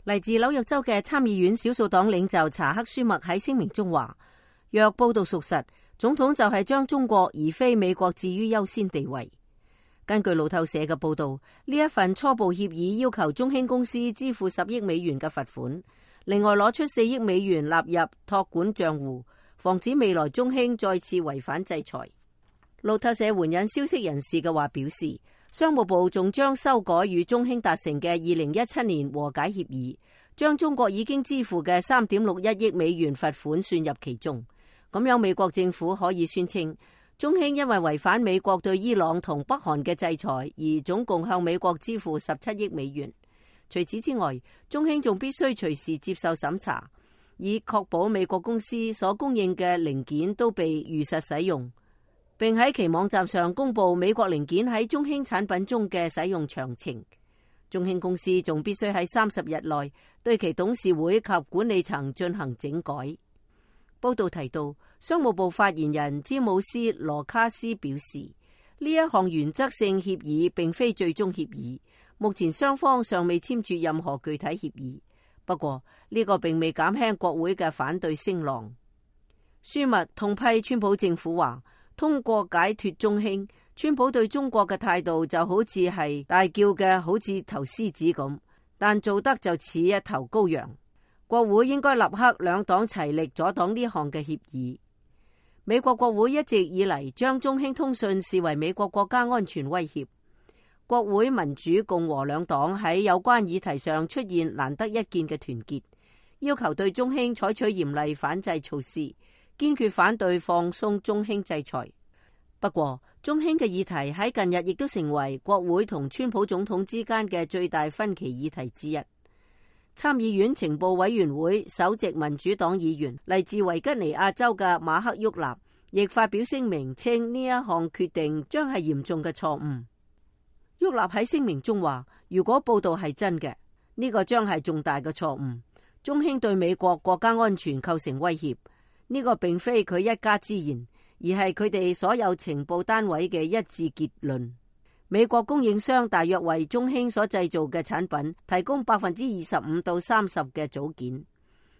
嚟自紐約州嘅參議院少數黨領袖查克舒默喺聲明中話，若報道屬實，總統就係將中國而非美國置於優先地位。根據路透社嘅報道，呢一份初步協議要求中興公司支付10億美元嘅罰款，另外攞出4億美元納入託管賬戶，防止未來中興再次違反制裁。路透社援引消息人士嘅話表示，商務部仲將修改與中興達成嘅2017年和解協議，將中國已經支付嘅3.61億美元罰款算入其中。咁樣美國政府可以宣稱，中興因為違反美國對伊朗同北韓嘅制裁，而總共向美國支付17億美元。除此之外，中興仲必須隨時接受審查，以確保美國公司所供應嘅零件都被如實使用，並喺其網站上公布美國零件喺中興產品中嘅使用詳情。中興公司仲必須喺30日內對其董事會及管理層進行整改。報道提到，商務部發言人詹姆斯羅卡斯表示，呢一項原則性協議並非最終協議，目前雙方尚未簽署任何具體協議。不過呢個並未減輕國會嘅反對聲浪。舒默痛批川普政府話，通過解脫中興，川普對中國嘅態度就好似係大叫嘅好似頭獅子咁，但做得就似一頭羔羊。國會應該立刻兩黨齊力阻擋呢項嘅協議。美國國會一直以嚟將中興通訊視為美國國家安全威脅。國會民主共和兩黨喺有關議題上出現難得一見嘅團結，要求對中興採取嚴厲反制措施，堅決反對放鬆中興制裁。不過，中興嘅議題喺近日亦都成為國會同川普總統之間嘅最大分歧議題之一。參議院情報委員會首席民主黨議員嚟自維吉尼亞州嘅馬克沃納亦發表聲明，稱呢一項決定將係嚴重嘅錯誤。沃納喺聲明中話，如果報道係真嘅，呢個將係重大嘅錯誤。中興對美國國家安全構成威脅，呢個並非佢一家之言，而係佢哋所有情報單位嘅一致結論。美國供應商大約為中興所製造嘅產品提供25%到30%嘅組件，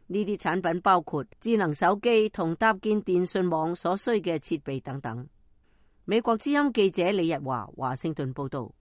呢啲產品包括智能手機同搭建電信網所需嘅設備等等。美國之音記者李日華華盛頓報道。